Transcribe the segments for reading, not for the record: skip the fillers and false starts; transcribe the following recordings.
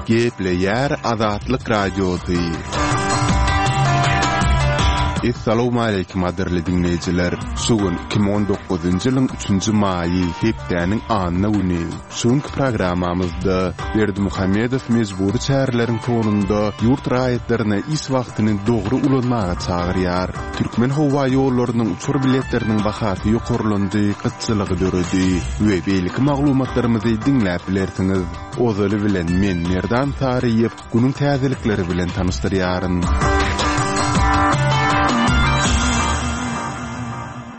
Gepleýär Azatlyk Radiosy. Essalawmaleýkim gadyrly diňleýjiler! Şu gün 2019-njy ýylyň üçünji maýy, hepdäniň anna güni. Şu günki programmamyzda Berdimuhamedow mejbury çäreleriň fonunda ýurt raýatlaryna iş wagtyny dogry ulanmaga çagyrýar. Türkmen howa ýollarynyň uçar biletleriniň bahasy ýokarlandy, gytçylygy döredi we beýleki maglumatlarymyzy diňläp bilersiňiz. Ozaly bilen men Merdan Saryýew günüň täzelikleri bilen tanyşdyrýaryn.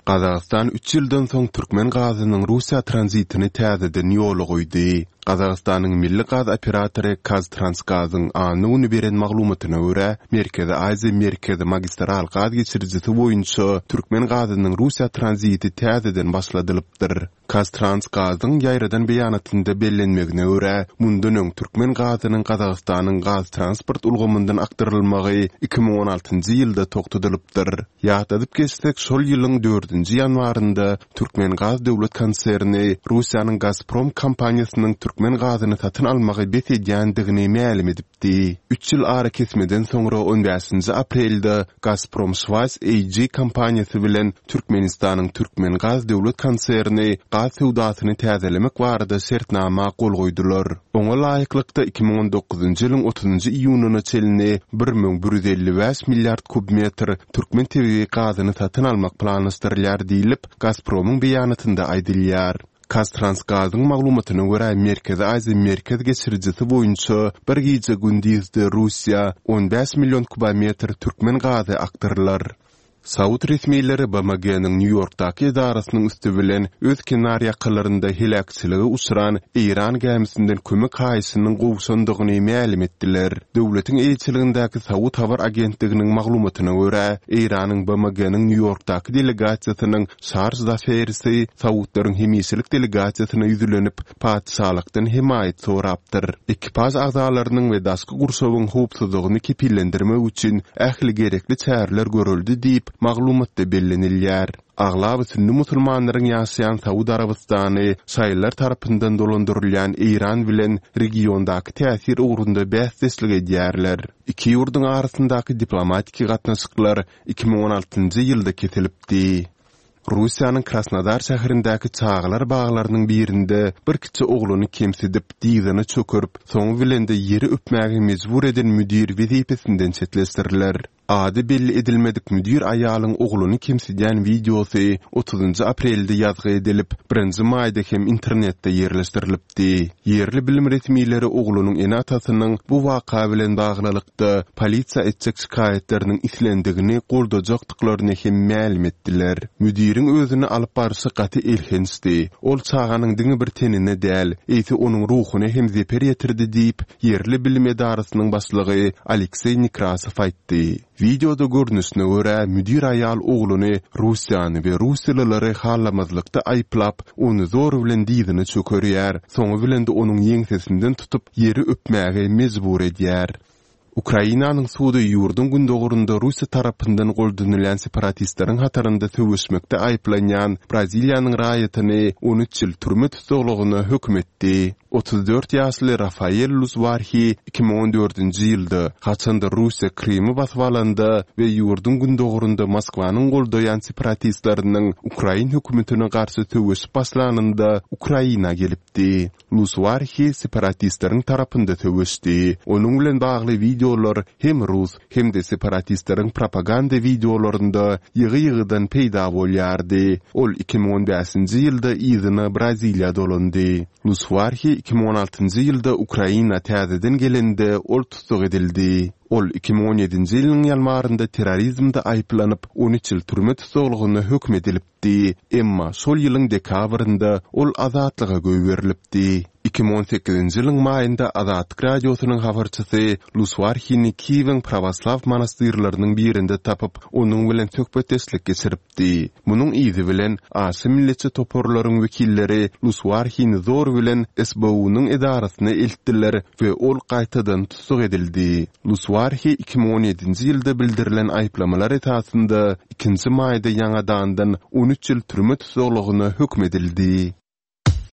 Gazagystan üç ýyldan soň türkmen gazynyň Russiýa tranzitini täzeden ýola goýdy. Gazagystanyň milli gaz operatory KazTransGaz-yň anna güni beren maglumatyna görä, Merkezi Aziýa Merkezi magistral gaz geçirijisi boýunça türkmen gazynyň Russiýa tranziti täzeden başladylypdyr. KazTransGaz-yň ýaýradan beýanatynda bellenmegine görä, mundan öň türkmen gazynyň Gazagystanyň gaz-transport ulgamyndan akdyrylmagy 2016-njy ýylda togtadylypdyr. Ýatladyp geçsek, şol ýylyň dördünji ýanwarynda Türkmengaz döwlet konserni Russiýanyň Gazprom kompaniýasynyň türkmen gazyny satyn almagy bes edýändigini mälim edipdi. Üç ýyl arakesmeden soňra on bäşinji aprelde Gazprom Schweiz AG kompaniýasy bilen Türkmenistanyň Türkmengaz döwlet konserni gaz söwdasyny täzelemek barada şertnama gol goýdular. Oňa laýyklykda, 2019-njy ýylyň otuzynjy iýunyna çenli 1155 milliard kub metr türkmen tebigy gazyny satyn almak planlaşdyrylýar diýlip, Gazpromyň beýanatynda aýdylýar. KazTransGaz-yň maglumatyna görä, Merkezi Aziýa Merkez geçirijisi boýunça bir gije-gündizde Russiýa 15 million kubometr türkmen gazy akdyrylar. Saud resmileri BMG-niň Nýu-Ýorkdaky edarasynyň üsti bilen öz kenar ýakalarynda heläkçilige uçran eýran gämisinden kömek haýyşynyň gowşandygyny mälim etdiler. Döwletiň eýeçiligindäki Saud habar agentliginiň maglumatyna görä, Eýranyň BMG-niň Nýu-Ýorkdaky delegasiýasynyň Şarj Zaferisi saudlaryň hemişelik delegasiýasyna ýüzlenip, patyşalykdan hemaýat sorapdyr. Ekipaž agzalarynyň we daşky gurşawyň howpsuzlygyny kepillendirmek üçin ähli gerekli çäreler görüldi diýip, maglumatda bellenilýär. Aglaba sünni musulmanlaryň ýaşaýan Saud Arabystany şaýylar tarapyndan dolandyrylýan Eýran bilen regiondaky täsir ugrunda bäsdeşlik edýärler. Iki ýurduň arasyndaky diplomatiki gatnaşyklar 2016-njy ýylda kesilipdi. Russiýanyň Krasnodar şäherindäki çagalar baglarynyň birinde bir kiçi oglany kemsidip, dyzyna çökerip, soňy bilen-de ýeri öpmäge mejbur eden müdir wezipesinden çetleşdiriler. Ady belli edilmedik müdir aýalyň ogluny kemsidýän wideosy otuzynjy aprelde ýazgy edilip, birinji maýda hem internetde ýerleşdirilipdi. Ýerli bilim resmileri oglunyň ene-atasynyň bu waka bilen baglylykda polisiýa etjek şikaýatlarynyň islendigini goldajakdyklaryny hem mälim etdiler. Müdiriň özüni alyp barşy gaty elhençdi. Ol çaganyň diňe bir tenine däl, eýse onuň ruhuna hem zeper ýetirdi diýip, ýerli bilim edarasynyň başlygy Alekseý Nekrasow aýtdy. Wideoda görnüşine görä, müdir aýal ogluny Russiýany we russiýalylary halamazlykda aýyplap, ony zor bilen dyzyna çökerýär, soňy bilen-de onuň ýeňsesinden tutup, ýeri öpmäge mejbur edýär. Ukrainanyň sudy ýurduň gündogarynda Russiýa tarapyndan goldanylýan separatistleriň hatarynda söweşmekde aýyplanýan Braziliýanyň raýatyny 13 ýyl türme tussaglygyna höküm etdi. 34 ýaşly Rafael Luzwarhi 2014-nji ýylda, haçan-da Russiýa Krymy basyp alanda we ýurduň gündogarynda Moskwanyň goldaýan separatistleriniň ukrain hökümetine garşy söweşip başlanynda Ukraina gelipdi. Luzwarhi separatistleriň tarapynda söweşdi. Onuň bilen bagly wideolar hem rus, hem-de separatistleriň propaganda wideolarynda ýygy-ýygydan peýda bolýardy. Ol 2015-nji ýylda yzyna Braziliýa dolandy. Luswarhi 2016-njy ýylda Ukraina täzeden gelende ol tussag edildi. Ol 2017-nji ýylyň ýanwarynda terrorizmde aýyplanyp, 13 ýyl türme tussaglygyna höküm edilipdi. Emma şol ýylyň dekabrynda ol azatlyga goýberilipdi. 2018-nji ýylyň maýynda Azatlyk Radiosynyň habarçysy Luswarhini Kiýewiň prawoslaw monastyrlarynyň birinde tapyp, onuň bilen söhbetdeşlik geçiripdi. Di. Munuň yzy bilen, aşa milletçi toparlaryň wekilleri Luswarhini zor bilen SBU-nyň edarasyna eltdiler we ol gaýtadan tussag edildi. Luswarhi 2017-nji ýylda bildirilen aýyplamalar esasynda ikinji maýda ýaňadandan 13 ýyl türme tussaglygyna höküm edildi.